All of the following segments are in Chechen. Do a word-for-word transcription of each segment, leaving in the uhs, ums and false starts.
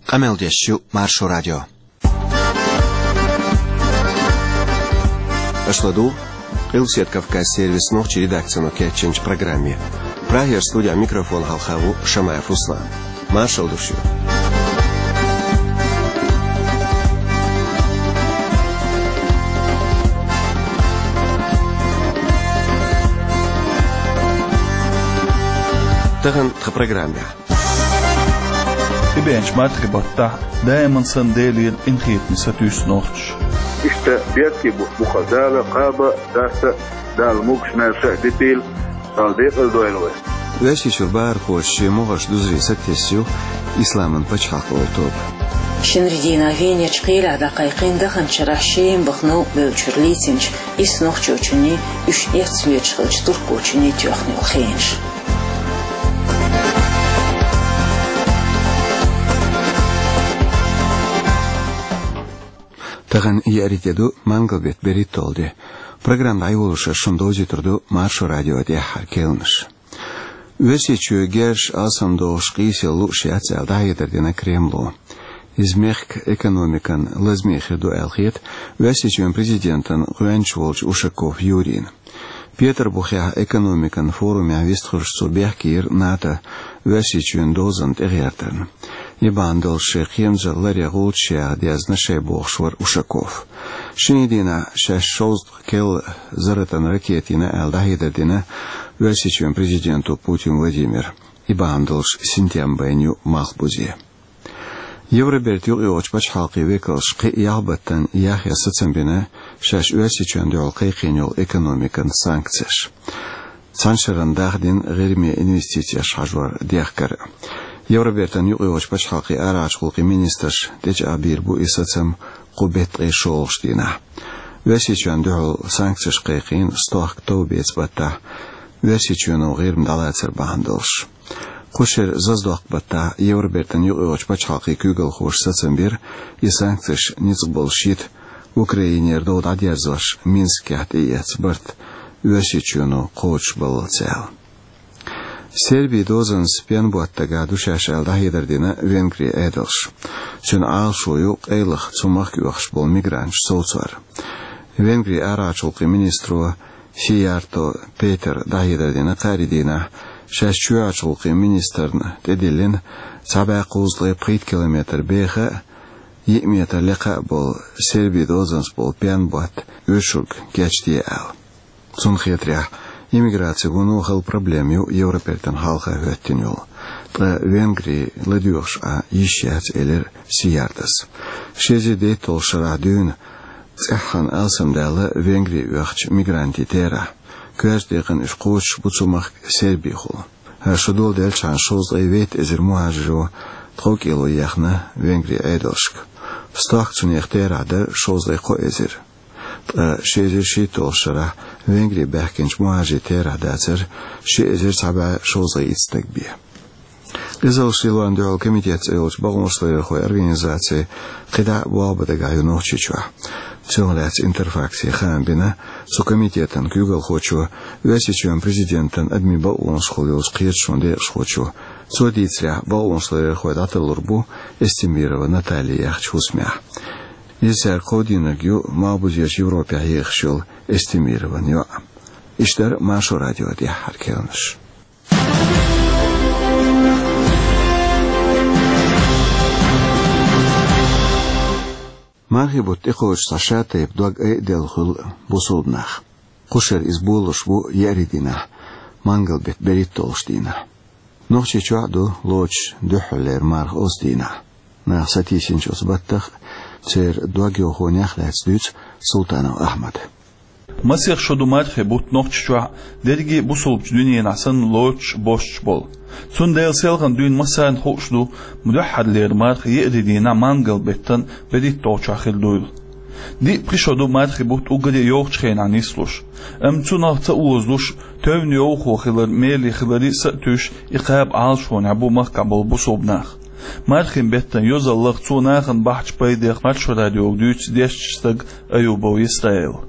Къамел деш ю Маршо радио. Аша ладугӀу Къилбаседа Кавказан сервисан нохчийн редакцино кечйинчу программе. Прагера студехь микрофон хьалха ву Шамаев Руслан. Маршалла ду шуьга. Тахана тхан программехь. ТӀебеанчу мархин баттахь даиман санна Делера къинхетаме сатуьйсу нохчаша. Иштта беркате бу-, бу-кх Дала кхаба а, даста а, Дала могуш-маьрша а дитийла, Дала декъала дойла вай. Оьрсийчуьра бахархоша шен могӀарш дузаре сатесна ю Исламан пачхьалкх олу тоба. Шинарин дийнахь Венерчу кхелехь дӀакхайкхийна даханчу шарахь Шема баха новкъабевллачуьра лецначу исс нохчочунний, уьш эцна леташ хиллачу туркочунний тоьхна йолу хенаш. Тахана еарин де ду, мангал беттан берхӀитталгӀа де. Программа дӀайолош шуна довзуьйтур ду Маршо радион тӀаьххьара кхаьънаш. Оьрсийчоь герзаш, алсамдохуш къийсалла лууш яц аьлла, дӀахьедар дина Кремло. Иза мехкан экономикан лазаме хир ду аьлла хета Оьрсийчоьнан президентана гӀоьнча волчу Ушаков Юрийна. Петарбухехь экономикан форумехь вистхуьлуш цо бехке йира НАТО Оьрсийчоьнан дозанна тӀегӀертарна. И бахьана долуш шайн кхерамзалла ларъян гӀулчаш яха дезна шайн бохуш вара Ушаков. Шинарин дийнахь шаьш шовзткъа кел зарратан ракета йина аьлла, дӀахьедар дина Оьрсийчоьнан президента Путин Владимира. И бахьана долуш синтем байна ю Малхбузе. Евробертан юкъайогӀучу пачхьалкхийн векалша кхин а ялх баттана яхъян сацам бина шаьш Оьрсийчоьнна дуьхьал кхайкхийна йолу экономикан санкцеш. Цхьана шарна дахдина ГӀирме инвестицеш хьажор дехкар. Евробертан юкъайогӀучу пачхьалкхийн арахьарчу гӀуллакхийн министраша тӀечӀагӀбийр бу и сацам кху беттан ткъе шолгӀачу дийнахь. Оьрсийчоьнна дуьхьал санкцеш кхайкхийна стохка товбеца баттахь Оьрсийчоьно ГӀирма дӀалацар бахьана долуш. Кху шеран зазадоккху баттахь Евробертан юкъайогӀучу пачхьалкхийн куьйгалхоша сацам бира, и санкцеш ницкъ болуш йита, Украинера дов дӀадерзош Минскехь тӀеэцна барт Оьрсийчоьно кхочушбаллалц аьлла. Сербин дозанца пен ботта дагахь ду шаьш аьлла, дӀахьедар дина Венгрин Ӏедалша. Цуьнан Ӏалашо ю къайлаха цу махка оьхуш болу мигранташ совцор. Венгрин арахьарчу гӀуллакхийн министро Сиярто Петера дӀахьедар дина кхаарин дийнахь, шаьш чоьхьарчу гӀуллакхийн министрна тӀедиллина цхьа бӀе кхузткъе пхийтта километр беха а, йиъ метр лекха а болу Сербин дозанца болу пен ботт оьшург кечде аьлла. Цунна хетарехь, иммиграци вуно хала проблема ю Евробертана хьалха хӀоьттина йолу. Ткъа Венгри ладоьгӀуш Ӏан йиш яц, элира Сияртос. Ши эзар дейтталгӀачу шарахь дуьйна цӀеххьана алсамдаьлла Венгри оьхучу мигрантийн терахь. Коьртачу декъана уьш кхочуш бу цу махка Сербихула. ХӀара шо доладелчхьана шовзткъе вейтта эзар мухӀажиро тховкӀело ехна Венгрин Ӏедалшка. Стохка цунах терахь дара шовзткъе кхо эзар. Ткъа ши эзар шийтталгӀачу шарахь Венгри баьхкинчу мухӀажирийн терахь дацара ши эзар цхьа бӀе шовзткъе итт стаг бен. Къизаллаш лелорна дуьхьал комитет цӀе йолчу бакъонашларъярхойн организацин кхидӀа а болх бан дагахь ю Нохчийчохь. Цунах лаьцна Интерфаксе хаам бина цу комитетан куьйгалхочо Оьрсийчоьнан президентан адамийн бакъонашкахула йолчу кхеташонан декъашхочо. Цо дийцарехь, бакъонашларъярхой дӀатарлур бу Эстемирова Наталья яхачу хӀусамехь. Иза цаьрга кховдийнарг ю Малхбузерчу Европехь ехаш йолу Эстемирован йоӀ. Иштта дара Маршо радион тӀаьххьара кхаьънаш. Мархийн бутт тӀекхочуш цхьа шатайпа дог айаделла хуьлу бусулба нах. Кху шарахь иза болалуш бу еарин дийнахь, мангал беттан берхӀитталгӀачу дийнахь. Нохчийчохь а ду лоцуш дуьххьарлера марха оцу дийнахь. Нах сатийсинчу оцу баттах а, церан дог йохонех а лаьцна дуьйцу Султанов Ахьмада. Масех шо ду мархийн бутт Нохчийчохь а, дерриге а бусулбачу дуьненахь санна лоцуш а, босуш а болу. Цундела селхана дуьйна массарна хууш ду, дуьххьарлера марха еарин дийнахь мангал беттан берхӀитталгӀачохь хир дуйла. Диъ-пхи шо ду мархийн бутт уггаре а йовхачу хенахь нислуш. Амма цунах ца озалуш, тевне йовхо хилар, меле хиларе а са а туьйсуш, и кхаба Ӏалашонехь бу махкахь болу бусулба нах. Мархийн беттан йозаллех, цо нахана бахьачу пайдех Маршо радиога дуьйцу дешначу стага Аюбов Исраила.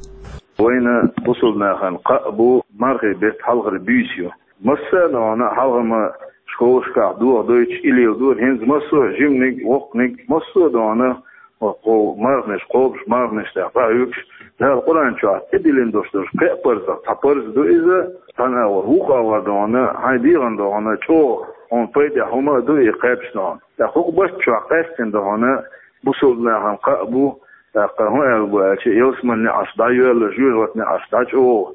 Вайна бусулба нахана кхаъ бу мархийн беттан хьалхара буьйса ю. Массарна а вахана хьалха ма ковшкахь дохадойтуш, и леладора хӀинца массо а жиманиг, воккханиг, массо а дохана, кхо марханаш, кхобуш марханаш тӀехь дӀахьоьгуш, Дала Къуръан чохь тӀедиллина долуш долуш кхин а парзах цхьа парз ду иза, цхьана агӀор, вукху агӀор дохана, хьайн дегӀан дохана, чӀогӀа хьуна пайдехь хӀума а ду и кхаьбча дохана. ТӀаккха хӀокху барт чохь къаьстина дохана, бусалба нахана кхаъ бу, тӀаккха хӀун аьлла бу аьлча, ялсаманин неӀарш дӀайоьлла, жоьжахатин неӀарш дӀачӀогӀа,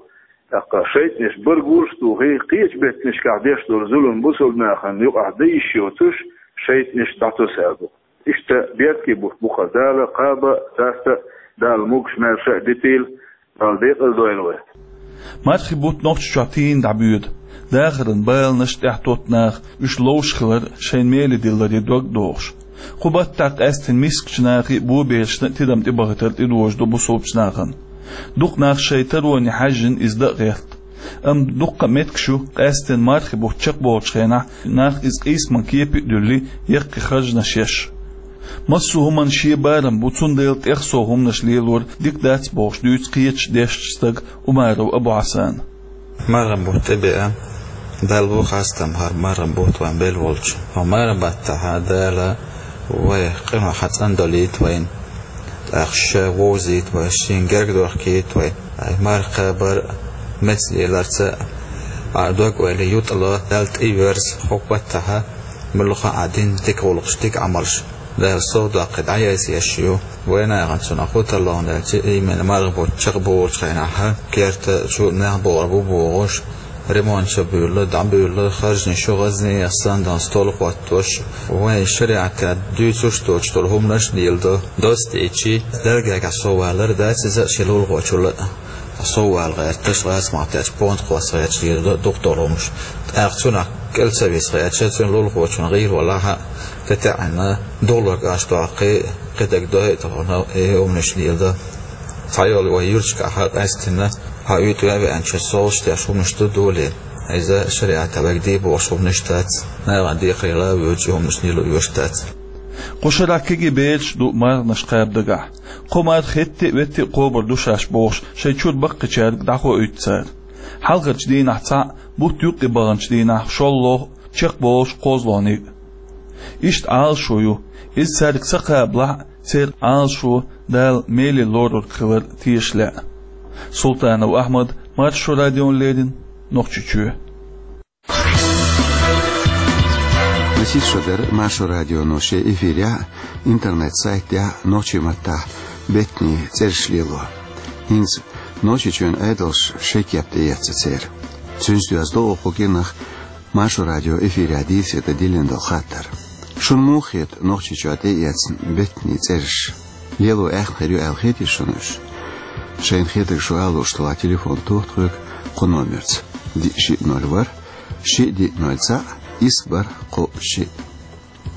тӀаккха шайтӀанаш бар гурш а тухий, кхечу беттанашкахь деш долу зулам бусалба нахана юкъахь дан йиш йоцуш, шайтӀанаш дӀатосу аьлла бу. Иштта бертий бутт бу хӀара, Дала кхаба а, даста а, Дала могуш-маьрша а дитийла, Дала декъала дойла вай. Мархи бутт Нохчийчохь тийна дӀабоьду. Дахаран баланаш тӀехь тотту наха, уьш ловш хилар шайн меле дилларе дог а дохуш. Кху баттахь къаьстина мискачу нахе а, боберашна а тидам тӀебахийтар тӀедожадо бусалбачу нахана. Дукха нах шайн тароне хьаьжжина иза дан а гӀерта. Амма дуккха а меттигаш ю, къаьстина мархи бутт чекхболучу хенахь нах иза къийсаман кепе а дуьллий, яккхий харжамаш еш. Массо а хӀуманна шен барам бу, цундела тӀех сов хӀуманаш лелор дика дац бохуш дуьйцу кхечу дешначу стага Умаров Абу-Хьасана. Мархи бутт тӀебеа, Далла бу хастам хӀара мархи бутт вайн белла волчу. Хьо мархи баттахь Дала вай къинойх цӀандолуьйту вайна, тӀаккха ша вовзийта вай, шена герга дохкийта вай. Ай, марха кхабар а, меца леларца а, а дог-ойла ютӀало, Далла тӀеверза, хӀокху баттахь муьлхха а дина дика гӀуллакхаш, дика Ӏамалш Дала сов доккхий дӀаяйсаеш ю. Вайнахана цунах хӀун тарло аьлча, именно мархи бутт чекхболучу хенахь, керта чу нах богӀур бу бохуш, ремонт ца буьйлла, дӀабуьйлла, харжанаш ю гӀазнех санна, стол хӀоттош, вайн шариӀатехь дуьйцуш доцуш долу хӀуманаш а леладо. Доцу дийчи, Далла гергахь сов валар дац иза, шен лулахочул а сов вала гӀерташ, гӀазкхах тӀечу понт кхосса гӀерташ леладо дукха долу хӀуманаш. ТӀаккха цунах кӀел ца виса гӀерташ, цуьнан лулахочун гӀийла валахь а, тӀетаьӀна, дуллург аш доккхий, кхидерг дойа а тахана, и хӀуманаш леладо. Цхьайолу вай юьрташкахь къаьстина, хьан уьйтӀа веанчу совгӀаташ деш хӀуманаш ду долий. Иза шариӀатехь вайга де бохуш хӀуманаш дац, нахана декхарийла воьдучу хӀуманаш лело оьшуш дац. Кху шарахь кегий бераш ду марханаш кхаба дагахь. Кхо марха хӀетте а, ветте а кхобур ду шаьш бохуш, шайн чуьра баккхийчаьрга дӀахоуьйту цара. Хьалхарчу дийнахь цхьаъ, бутт юккъе баханчу дийнахь шолгӀа, чекхболуш кхозлагӀниг а. Иштта Ӏалашо ю, иза цаьрга ца кхабалахь а, церан Ӏалашо Дала меле лорург хилар теша лаьа. Султанов Ахьмад, Маршо радиона леррина, Нохчийчоь. Масех шо дара Маршо радионо шен эфирехь а, интернет-сайтехь а нохчийн маттахь беттанийн цӀераш лело. ХӀинца Нохчийчоьнан Ӏедалша шайн кеп тӀеэцна церан. Цуьнца доьзна ду оха кху кӀиранах Маршо радион эфирехь дийцаре дан диллина долу хаттар. Шуна муха хета Нохчийчохь тӀеэцна беттанийн цӀераш? Лело аьхна хир ю аьлла хетий шуна уьш? Шайна хетарг шу ала лууш делахь, телефон тоха тхоьга кху номерца: диъ шиъ ноль ворхӀ, шиъ диъ ноль цхьаъ, исс бархӀ кхоъ шиъ.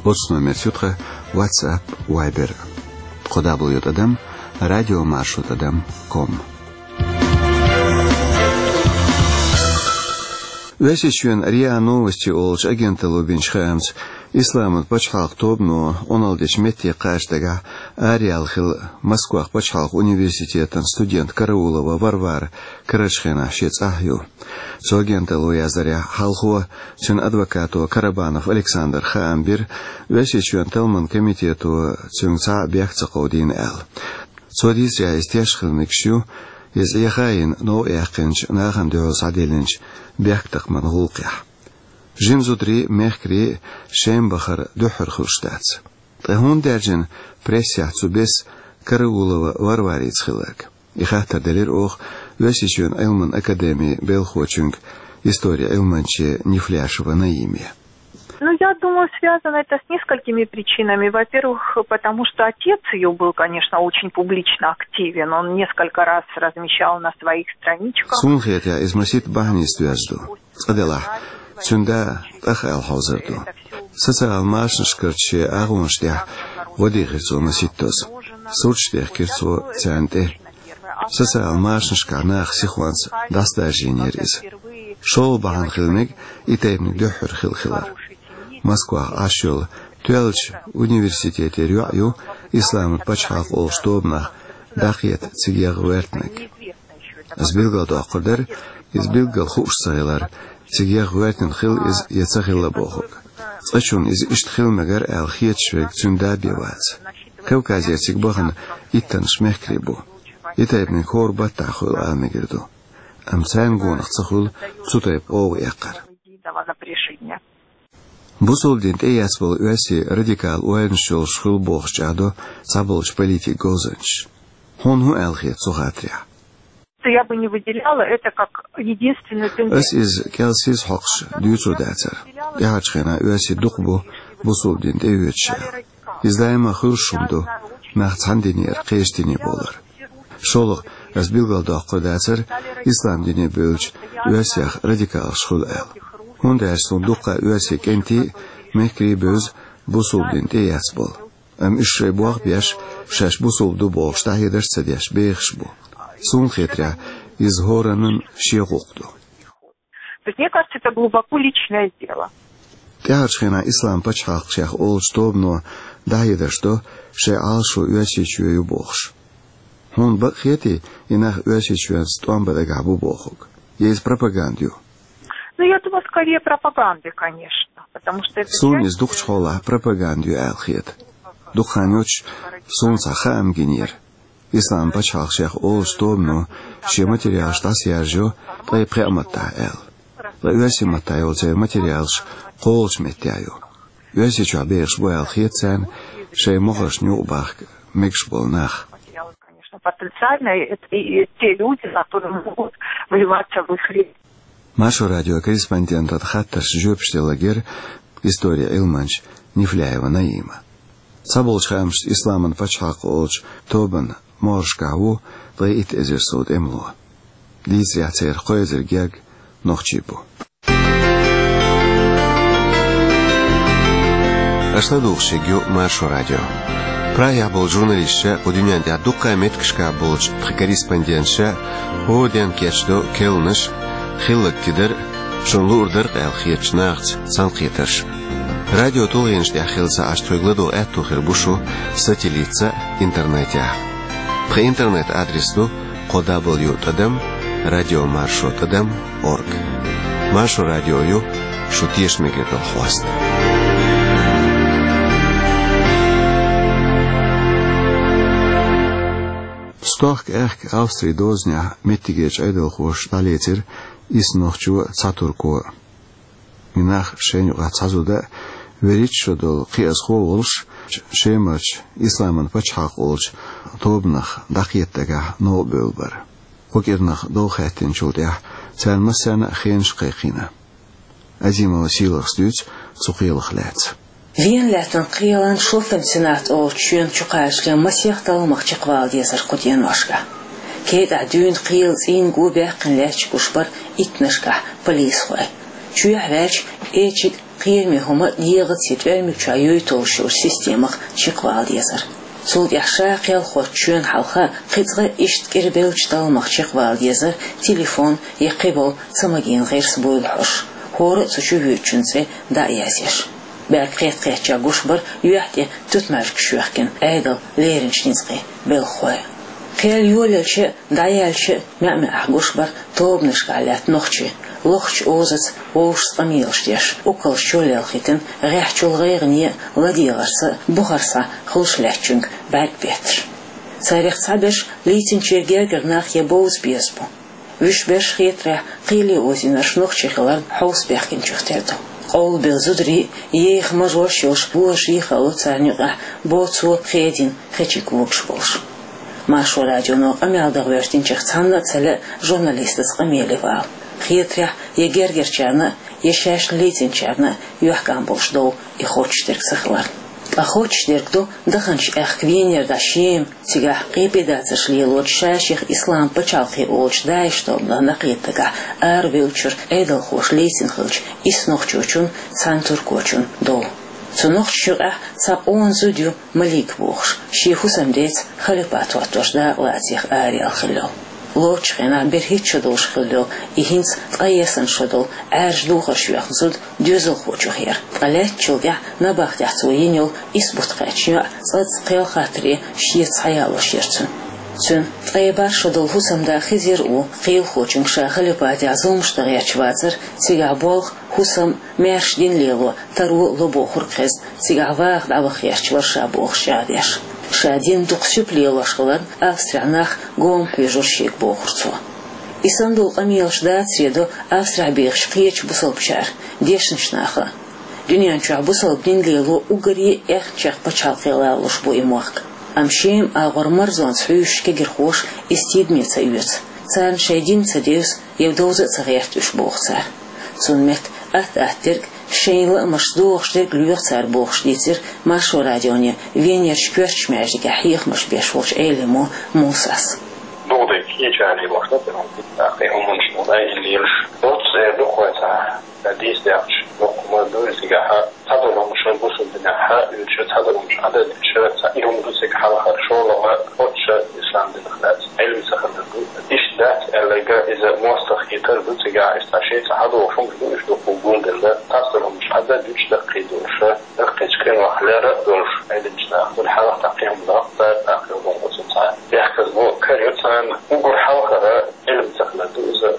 Оцу номерца ю тхан WhatsApp, Viber. Кху дабл ю тӀадам радиомаршо тӀадам ком. Оьрсийчоьнан РИА Новости олучу агенталло бинчу хаамца, Исламан пачхьалкх тобано Ӏуналла дечу метте кхача дагахь араяьлла хилла Москвахь пачхьалкх университетан студент Караулова Варвара карарчу хенахь шен цӀахь ю. Цу агенталло яздарехь, хьалхо цуьнан адвокато Карабанов Александра хаам бира, Оьрсийчоьнан талламан комитето цуьнга цхьа а бехк ца кховдийна аьлла. Цо дийцарехь, иза теш хила мегаш ю, иза Ӏеха а йина, новкъа яьккхинчу, нахана дуьхьал схьадиллинчу бехктакхаман гӀуллакхехь. Жима зударий а, мехкарий а шен бахар дуьххьара хуьлуш дац. Ткъа хӀунда даьржина прессехь цу беса Караулова Варварица хилларг? И хаттар делира оха Оьрсийчоьнан Ӏилманан академин белхочуьнга, историн Ӏилманче Нефляшева Наиме. Ну, я думаю, связано это с несколькими причинами. Во-первых, потому что отец ее был, конечно, очень публично активен. Он несколько раз размещал на своих страничках. Суна хетарехь, иза масийтта бахьанашца доьзна ду. Цкъа делахь, цуьнан да тӀах аьлла хьовзар ду. Социал машанашкарчу шен агӀонаш тӀехь гӀо дийхира цо масийттаза. Сурташ техкира цо царна тӀе. Социал машанашкахь наха сихонца дӀасадаржийнера иза. ШолгӀа бахьана хила мега и тайпаниг дуьххьара хилла хилар. Москвахь Ӏаш йолу тоьллачу университетера йоӀ ю Исламан пачхьалкх олучу тобанах дӀакхета цига ягӀа ваьртинарг. Ас билгалдоккхур дара, иза билггал хууш ца хилар, Цига гӀоьртина хилла иза я ца хилла бохург. Цкъачунна иза иштта хила мегар аьлла хеташ верг цуьнан да бен вац. Кавказера цига бахана иттаннаш мехкарий бу. И тайпаниг хӀора баттахь хуьлу ала мегар ду. Амма царна гонах ца хуьлу цу тайпа гӀовгӀа эккхар. Бусалба дин тӀеэцна болу оьрсийн радикал ойланаш йолуш хуьлу бохуш чӀагӀдо цхьаболчу политикан говзанчаша. Хьуна хӀун аьлла хета цу хаттарехь? Я бы не выделяла это как единственную тенденцию. Ас иза кӀел сиз хьокхуш дуьйцур дацара. ТӀаьхьарчу хенахь оьрсий дукха бу бусалба дин тӀеоьцуш аьлла. Иза даима хуьлуш хӀума ду, нах цхьана динера кхечу дине бовлар. ШолгӀа, ас билгалдоккхур дацара, ислам дине бевлча оьрсех радикалаш хуьлу аьлла. ХӀунда аьлча суна дуккха оьрсийн кӀентий а, мехкарий а бевза бусалба дин тӀеэцна болу. Амма уьш шайн болх беш, шаьш бусалба ду бохуш дӀахьедарш а ца деш, бехаш бу. Суна хетарехь, иза хӀораннан шен гӀуллакх ду. То есть, мне кажется, это глубоко личное дело. ТӀаьхьарчу хенахь Ислам пачхьалкх шех олучу тобано дӀахьедарш до, шайн Ӏалашо Оьрсийчоь ю бохуш. Хьуна бакъ хетий, и нах Оьрсийчоьнца тӀом бан дагахь бу бохург? Я иза пропаганда ю? Ну, я думаю, скорее пропаганда, конечно, потому что это... Суна иза дукхачу хьолахь пропаганда ю аьлла хета. Дукха хан йоцуш суна цхьа хаам гинера. Ислам пачхьалкх шех олучу тобано шен материалаш дӀасаяржайо ткъе пхеа маттахь аьлла. Ткъа оьрсийн маттахь йолу церан материалаш кхоалгӀачу меттехь ю. Оьрсийчохь бехаш бу аьлла хета царна шайн мохаршна юкъабахка мегаш болу нах. Конечно, потенциально это и те люди, которые могут вливаться в их ряды. Маршо радион корреспондентан хаттаршна жоьпаш делла гира историн Ӏилманча Нефляева Наима. Цхьаболчу хаамашца Исламан пачхьалкх олучу тобан могӀаршкахь ву ткъе итт эзар сов тӀемало. Дийцарехь, церан кхо эзар герга нохчий бу. Аша ладугӀуш ерг ю Маршо радио. Прагехь болчу журналисташа кху дуьнен тӀехь дуккха а меттигашкахь болчу тхан корреспонденташа хӀора денна кечдо керланаш, хилларг тидар, шуна луур дара-кх аьлла хетачу нахаца цхьаьнакхетарш. Радион тулгӀенаш тӀехь хилла ца Ӏаш тхоьга ладогӀа аьтто хир бу шу сателлитца а, интернетехь а. Тхан интернет-адрес ду кхо дабл ю тӀадам радио маршо тӀадам орг. Маршо радио ю шу тешаме мегар долу хьоста. Стохка аьхка Австрин дозанехь меттигерчу Ӏедалхоша дӀалецира исс нохчо, цхьа турко. И нах шайна юкъахь цхьа зуда а, вуьрхӀитта шо долу кхиазхо а волуш, Шемарчу Исламан пачхьалкх олучу тобанах дӀакхета дагахь новкъа бевлла бара. Кху кӀирнах дов хаьттинчул тӀаьхьа царна массарна а хенаш кхайкхийна. Азимова Сийлахас дуьйцу цу кхелах лаьцна. Вена лаьттан кхелан Шуффенсенат олучу чоьнан чукхачале масех талламах чекхвала дезара кху деношкахь. Кейтахь дуьйна кхелан цӀийнан го баьккхина лаьтташ гуш бара иттаннашкахь полисхой. Чоьхьа ваьлча, эчиг кхераме хӀума дегӀаца я тӀоьрмиг чохь юй толлуш йолчу системах чекхвала дезара. Цул тӀаьхьа ша кхел хоттучу чоьнна хьалха кхин цкъа иштта кӀирбеллачу талламах чекхвала дезара телефон я кхиболу ца магийна гӀирс буйла хьош, хӀора а цу чу воьдучун цӀе дӀа а язъеш. БӀаьрг кхетта-кхеттачохь гуш бара юьхь тӀе туьтмаьжгаш йоьхкина Ӏедалан леринчу ницкъийн белхахой. Кхел йолаелча а, дӀаяьлча а маьӀ-маьӀӀехь гуш бара тобанашкахь лаьтта нохчий, лохучу озаца вовшашца къамелаш деш, уккалш чоллелхийтина, гӀеххьачул гӀайгӀане а, ладегӀарца а бухара схьа хуьлуш лаьттачуьнга бӀаьрг бетташ. Царех цхьаберш лийцинчеран гергара нах я бовза беза бу. Вуьш берш хетарехь, кхеле озийнарш нохчий хиларна хьовса баьхкинчух тера ду. Къовлабелла зударий а, еха мажош а йолуш божарий а хало царна юкъахь боцо, хедийна хечиг вугуш болуш. Маршо радионо къамел дан гӀоьртинчех цхьанна а ца лаьа журналистаца къамеле вала. Хетарехь, я гергарчарна а, я шаьш лийцинчарна а юьхькӀам болуш дов и хоттуш дерг ца хиларна. Ткъа хоттуш дерг ду даханчу аьхка Венера дӀа Шема, цигахь къепедацарш лелочу, ша-шех Ислам пачхьалкх олучу ДАИШ тобанах дӀакхета дагахь арабевллачуьра Ӏедалхоша лийцина хиллачу исс нохчочун, цхьана туркочун дов. Цу нохчашна юкъахь цхьа къона зуда ю Малик бохуш, шен хӀусамдеца халипат хӀоттош дакъалацех араяьлла хилла йолу. Лоцучу хенахь берхӀитта шо долуш хилла йолу и хӀинца ткъаесна шо долу Ӏаьржа духарш йоьхна зуда доьзалхочух яра, ткъа лаьттачул тӀаьхьа набахтехь цо йина йолу исс бутт кхаьчна йоӀ цкъацкъа кхел хаттаре шеца схьаялош яра цуьнан. Цуьнан ткъе бархӀ шо долу хӀусамда хезира ву, кхелахочуьнга ша халипатехь зуламаш дан гӀерташ вацара, цигахь болх, хӀусам, маьрша дин лело, таро ло бохург хезна, цигахь ваха дӀаваха гӀерташ вара ша бохуш чӀагӀдеш. Ша дин дукха суьпа лелош хиларна, Австрехь нах гома хьоьжура шега бохура цо. И санна долу къамелаш дацаре до Австрехь бехачу кхечу бусалбачара, дешначу наха. Дуьнен чохь бусалба дин лело уггаре а аьхначех пачхьалкхе лалуш бу и мохк. Амма Шема агӀор марзонца хьуьйсуш кегирхоша иза тидаме ца оьцу. Царна шайн дин ца девза, я довза а ца гӀерта уьш, боху цара. Цунна метта атта-атта дерг, шайн лаамашца догӀуш дерг лоьху цара бохуш дийцира Маршо радионе Венерчу коьртачу маьждигехь хьехамаш беш волчу Ӏелимо Мусас. ДогӀу дерг кхечарна лоьхуш ду, тӀаккха и хӀуманаш дай лелаш. Оццу эр ду кхойца. Сан дийца даьккхича, дуккха ма ду иза цигахь, цхьадолу хӀумнаш бусалба динехь оьцуш, цхьадолу хӀумнаш Ӏадатча, цхьа и хӀума ду цига хьалхара, шолгӀа оццу ислам динах дац, Ӏилма ца хилар ду. Иштта дац аьлларг иза мостагӀа хетар ду цигахь, иштта шен цхьа хьадогӀуш хӀумнаш ду, уьш дуккха гулделла, цхьадолу хӀумнаш Ӏадда дуьйцуш даккхий долуш, даккхийчу къинойх лера а долуш, Ӏилманчу наха. Цул хьалха тӀаккха и хӀума даккха, тӀаккха и хӀума оцу цхьа бехказло кара ю царна, уггар хьалхара Ӏилма ца хилар ду иза.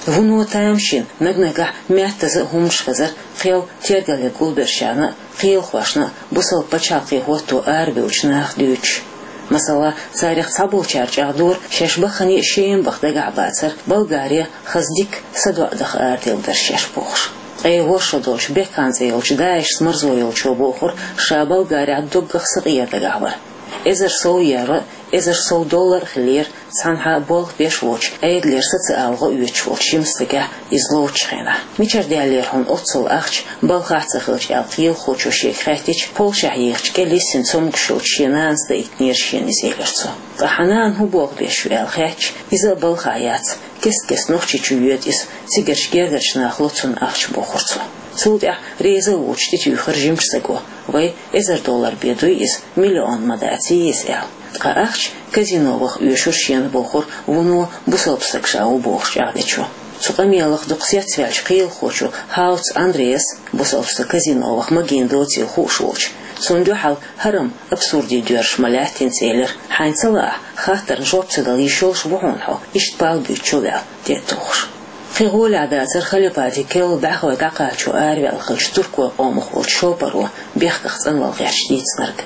Вуно тамашийна наг-нагахь меттаза а хӀуманаш хезара, кхел тергал ян гулбеллачарна а, кхелахошна а, бусалба пачхьалкхе хӀотто арабевллачу наха дуьйцуш. Масала, царех цхьаболчара чӀагӀдора, шаьш баххане а Шема баха дагахь бацара, Болгаре хаза дика садоӀа даха араделла дара шаьш бохуш. Ткъе ворхӀ шо долчу Бекан цӀе йолчу ДАИШ-ца марзо йолчо бохура, ша Болгарехь доггах сакъера дагахь вара. Эзар сов евро, эзар сов доллар а хиллера, цхьанхьа болх беш воцуш, Ӏедалера социалан гӀо оьцуш волчу жимачу стагехь иза ловчу хенахь. Мичара даьллера хьуна оццул ахча, балхахь а ца хилча, аьлла кхелахочо шега хаьттича, Польшехь ехачу кӀел йиссина цомгуш йолчу шен нанас даийтинера шена иза, элира цо. Ткъа хьан нана хӀун болх беш ю аьлла хаьттича, иза а балхахь яц, кест-кеста Нохчийчу йоьду иза, цигарчу гергарчу наха ло цунна ахча, бохура цо. Цул тӀаьхьа реза а воцуш тӀетуьйхира жимачу стаго, вай, эзар доллар бен дуй иза, миллион ма даций иза, аьлла. Ткъа ахча казино ваха оьшура шена, бохура вуно бусалба стаг ша ву бохуш чӀагӀдечо. Цу къамелах дукха цецваьллачу кхелахочо Хауц Андреас, бусалба стаг казино ваха магийна доцийла хууш волчу, цунна дуьхьал хӀарам, абсурдийн доьрзуш ма лаьттинца, элира, хьайна ца лаахь, хаттарна жоп ца дала йиш йолуш ву хьуна хьо, иштта пал буьйцучул, аьлла, тӀе а тухуш. Кхин гӀолехь дацара халипатан керла дӀахой дӀакхачо араваьлла хиллачу туркойн къомах волчу шопаро бехках цӀанвала гӀерташ дийцинарг.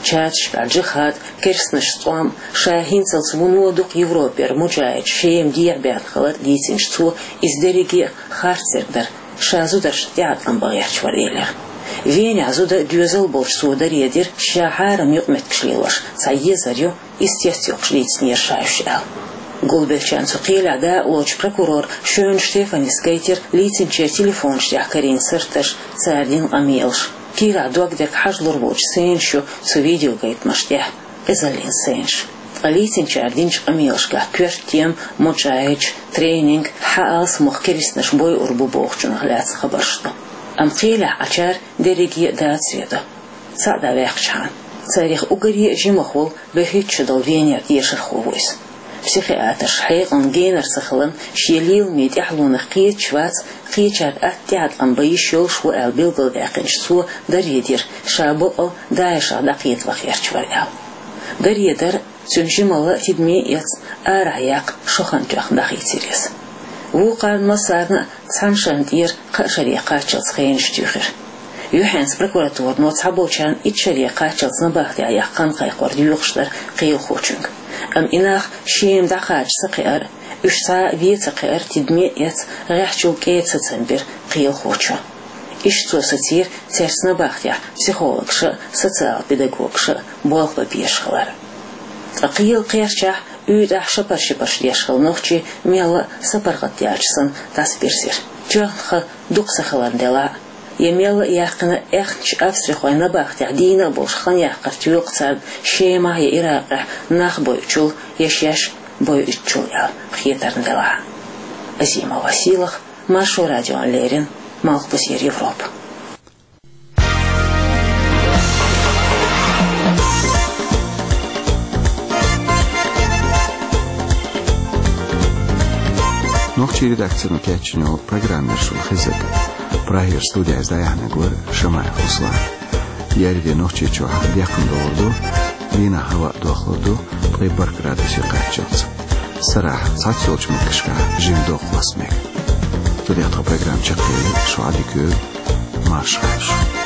Чаташкахь джихад, керстанашца тӀом, ша хӀинцалц вуно дукха Европера муджахӀидаш Шема дехьабаьхна хилар дийцинчу цо, иза дерриге а харцдерг дара, ша зударшна тӀеӀаткъам бан гӀерташ вара, элира. Венехь зуда доьзал болчу цо даре дира, ша хьарам юкъаметтигаш лелош цхьа езар ю, иза цецйоккхуш дийцинера ша уьш, аьлла. Гулбеллачарна цу кхелехь дакъалоцучу прокурора Шоьна Штефанис гайтира лийцинчеран телефонаш тӀехь карийна сурташ, цара дина къамелаш. Кийрахь догдерг хьажалур воцчу сценаш ю цу видеогайтамаш тӀехь, эзаллин сценаш. Ткъа лийцинчара динчу къамелашкахь коьрта тема, муджахӀидаш, тренинг, хьан алсамох керстанаш бойур бу бохучунах лаьцна хабарш ду. Амма кхелехь Ӏачара дерриге а дацаре до. Цхьаъ дӀаваьккхичхьана, царех уггаре а жимах волу бӀе хӀитташ шо долу Венера дешархо ву иза. Психиатрша хьекъална генара ца хиларна, шен леламийн тӀаьхьалонах кхеташ вац, кхечара атта тӀеӀаткъам бан йиш йолуш ву аьлла билгалдаьккхинчу цо даре дира, ша бакъ а ДАИШах дӀакхета ваха гӀерташ вара аьлла. Даре дар а, цуьнан жималла а тидаме а эцна, арахь яккха шо хан тоьхна дӀахийцира иза. Вукхарна массарна а цхьана шарна тӀера кхаа шаре кхаччалц хенаш туьйхира. Юьхьанца прокуратуро цхьаболчарна итт шаре кхаччалц набахтехь яккха хан кхайкхор доьхуш дара кхелахочуьнга. Амма и нах Шема дӀакхача ца кхиар а, уьш цхьа а вен ца кхиар а тидаме а эцна, гӀеххьачул кӀеда сацам бира кхелахочо. Иштта цо сацийра цаьрца набахтехь психологаша а, социал-педагогаша а болх бан безаш хилар. Ткъа кхелан кхерчахь, уьйтӀахь шапар-шипарш деш хилла нохчий мелла а сапаргӀат даьлча санна дӀасабирзира. Тоьхна хан дукха ца хиларна делахь а, я мелла а яьккхина аьхначу австрихойн набахтехь дийна а болуш хан яккхар тоьлу-кх царна Шемахь я Иракъехь нах бойучул, я шаьш бойуьйтучул аьлла хетарна делахь а. Азимова Сийлаха, Маршо радиона леррина, Малхбузера Европа. Нохчийн редакцино кечйина йолу программа яра шуна хезнарг. Прагера студехь иза дӀаяьхьнарг вара Шамаев Руслан. Еарин де Нохчийчохь декхна догӀур ду Дийнахьа хӀаваъ дохлур ду ткъе бархӀ градусе кхаччалца. Сарахьа цхьацца йолчу меттигашкахь жима догӀа хӀоссарг. Цу тӀехь тхан программа чекхъели, шун Ӏадика йойла, марша Ӏойла шу.